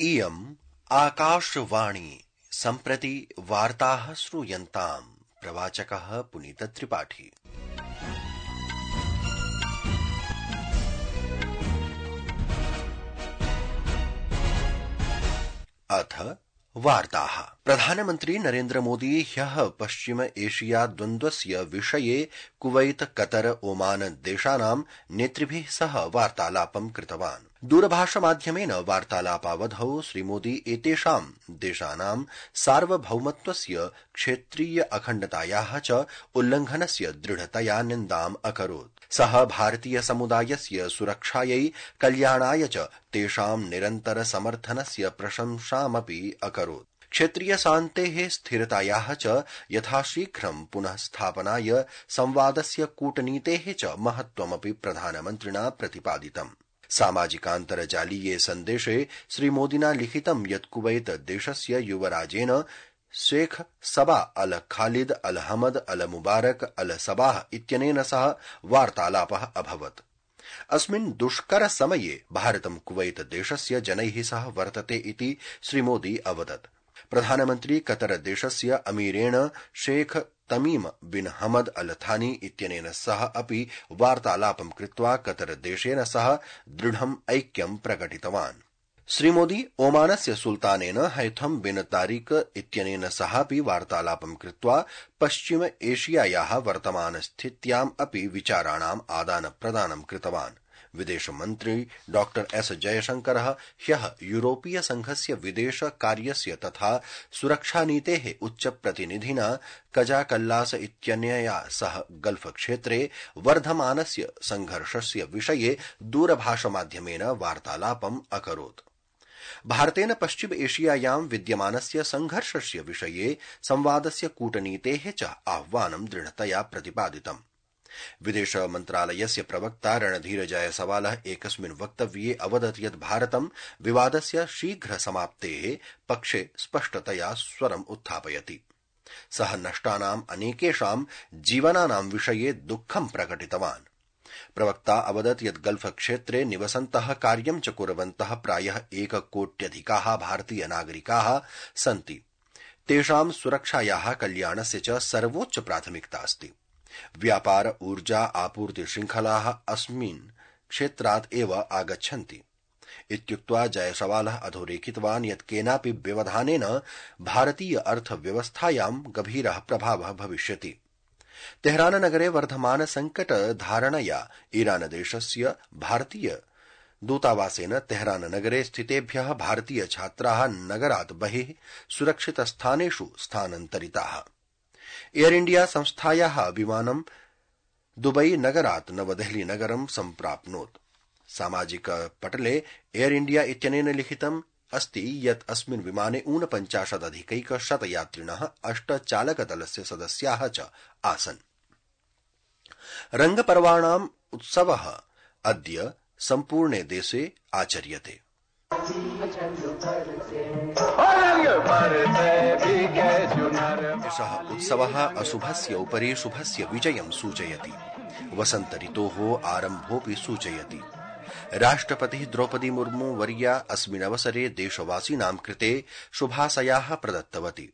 इयम् आकाशवाणी सम्प्रति वार्ताः श्रूयन्ताम्। प्रवाचकः पुनीत त्रिपाठी। अथ वार्ताः। प्रधानमन्त्री नरेन्द्र मोदी ह्यः पश्चिम एशिया द्वन्द्वस्य विषये कुवैत, कतर, ओमान देशानां नेतृभिः सह वार्तालापं कृतवान्। दूरभाषमाध्यमेन वार्तालापावधौ श्रीमोदी एतेषां देशानां सार्वभौमत्वस्य, क्षेत्रीय अखण्डतायाः च उल्लंघनस्य दृढतया निन्दाम् अकरोत्। सः भारतीय समुदायस्य सुरक्षायै, कल्याणाय च तेषां निरन्तर समर्थनस्य प्रशंसामपि अकरोत्। क्षेत्रीय शान्तेः, स्थिरतायाः च यथाशीघ्रं पुनः स्थापनाय संवादस्य, कूटनीतेः च महत्त्वमपि प्रधानमन्त्रिणा प्रतिपादितम्। सामाजिकान्तर्जालीये सन्देशे श्रीमोदिना लिखितं यत् कुवैत देशस्य युवराजेन शेख सबा अल खालिद अल हमद अल मुबारक अल सबाह इत्यनेन सह वार्तालापः अभवत्। अस्मिन् दुष्कर समये भारतं कुवैत देशस्य जनैः सह वर्तते इति श्रीमोदी अवदत्। प्रधानमन्त्री कतर देशस्य अमीरेण शेख तमीम बिन हमद अल थानी इत्यनेन सह अपि वार्तालापं कृत्वा कतर देशेन सह दृढम् ऐक्यं प्रकटितवान्। श्रीमोदी ओमानस्य सुल्तानेन हैथम बिन तारिक इत्यनेन सहापि वार्तालापं कृत्वा पश्चिम एशियायाः वर्तमानस्थित्याम् अपि विचाराणाम् आदानप्रदानं कृतवान्। विदेशमन्त्री डॉ एस जयशंकरः ह्यः यूरोपीय संघस्य विदेश कार्यस्य तथा सुरक्षानीतेः उच्चप्रतिनिधिना कजाकल्लास इत्यनया सह गल्फ क्षेत्रे वर्धमानस्य संघर्षस्य विषये दूरभाषमाध्यमेन वार्तालापम् अकरोत्। भारतेन पश्चिम एशियायां विद्यमानस्य संघर्षस्य विषये संवादस्य, कूटनीतेः च आह्वानं दृढतया प्रतिपादितम्। विदेश मन्त्रालयस्य प्रवक्ता रणधीर जायसवालः एकस्मिन् वक्तव्ये अवदत् यत् भारतं विवादस्य शीघ्र समाप्तेः पक्षे स्पष्टतया स्वरम् उत्थापयति। सः नष्टानाम् अनेकेषां जीवनानां विषये दुःखं प्रकटितवान्। प्रवक्ता अवदत् यत् गल्फ क्षेत्रे निवसन्तः, कार्यं च कुर्वन्तः प्रायः 1 कोट्यधिकाः भारतीय नागरिकाः सन्ति। तेषां सुरक्षायाः, कल्याणस्य च सर्वोच्च प्राथमिकता अस्ति। व्यापार, ऊर्जा, आपूर्ति श्रृंखलाः अस्मिन् क्षेत्रात् एव आगच्छन्ति इत्युक्त्वा जयसवालः अधोरेखितवान् यत् केनापि व्यवधानेन भारतीय अर्थव्यवस्थायां गभीरः प्रभावः भविष्यति। तेहरान नगरे वर्धमान संकट धारणया ईरान देशस्य भारतीय दूतावासेन तेहरान नगरे स्थितेभ्यः भारतीय छात्राः नगरात् बहिः सुरक्षितस्थानेषु स्थानान्तरिताः। एयर इंडिया संस्थायाः विमानं दुबई नगरात् नवदेहली नगरं सम्प्राप्नोत्। सामाजिक पटले एयर इंडिया इत्यनेन लिखितम् अस्ति यत् अस्मिन् विमाने 49,000 यात्रिणः, 8 चालकदलस्य सदस्याः च आसन्। रंगपर्वाणाम् उत्सवः अद्य सम्पूर्णे देशे आचर्यते। एषः उत्सवः अशुभस्य उपरि शुभस्य विजयं सूचयति, वसन्त ऋतोः आरम्भोऽपि सूचयति। राष्ट्रपतिः द्रौपदी मुर्मू वर्या अस्मिन् अवसरे देशवासिनां कृते शुभाशयाः प्रदत्तवती।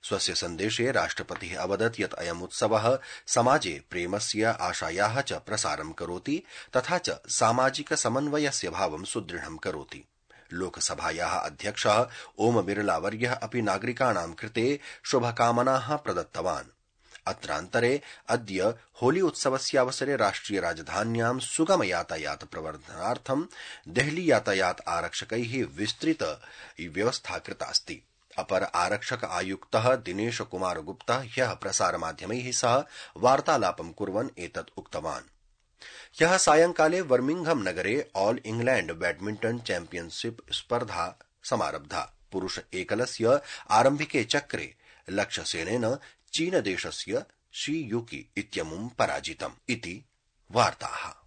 स्वस्य सन्देशे राष्ट्रपतिः अवदत् यत् अयम् उत्सवः समाजे प्रेमस्य, आशायाः च प्रसारं करोति तथा च सामाजिक समन्वयस्य भावं सुदृढं करोति। लोकसभायाः अध्यक्षः ओम बिरला वर्यः अपि नागरिकाणां कृते शुभकामनाः प्रदत्तवान्। अत्रान्तरे अद्य होली उत्सवस्यावसरे राष्ट्रिय राजधान्यां सुगम यातायात प्रवर्धनार्थं देहली यातायात आरक्षकैः विस्तृत व्यवस्था कृतास्ति। अपर आरक्षक आयुक्तः दिनेश कुमार गुप्ता ह्यः प्रसारमाध्यमैः सह वार्तालापं कुर्वन् एतत् उक्तवान्। ह्यः सायंकाले बर्मिंघम नगरे ऑल इंग्लैंड बैडमिंटन चैंपियनशिप स्पर्धा समारब्धा। पुरुष एकलस्य आरम्भिके चक्रे लक्ष्यसेनेन चीनदेशस्य शी युकी इत्यमुं पराजितम् इति वार्ताः।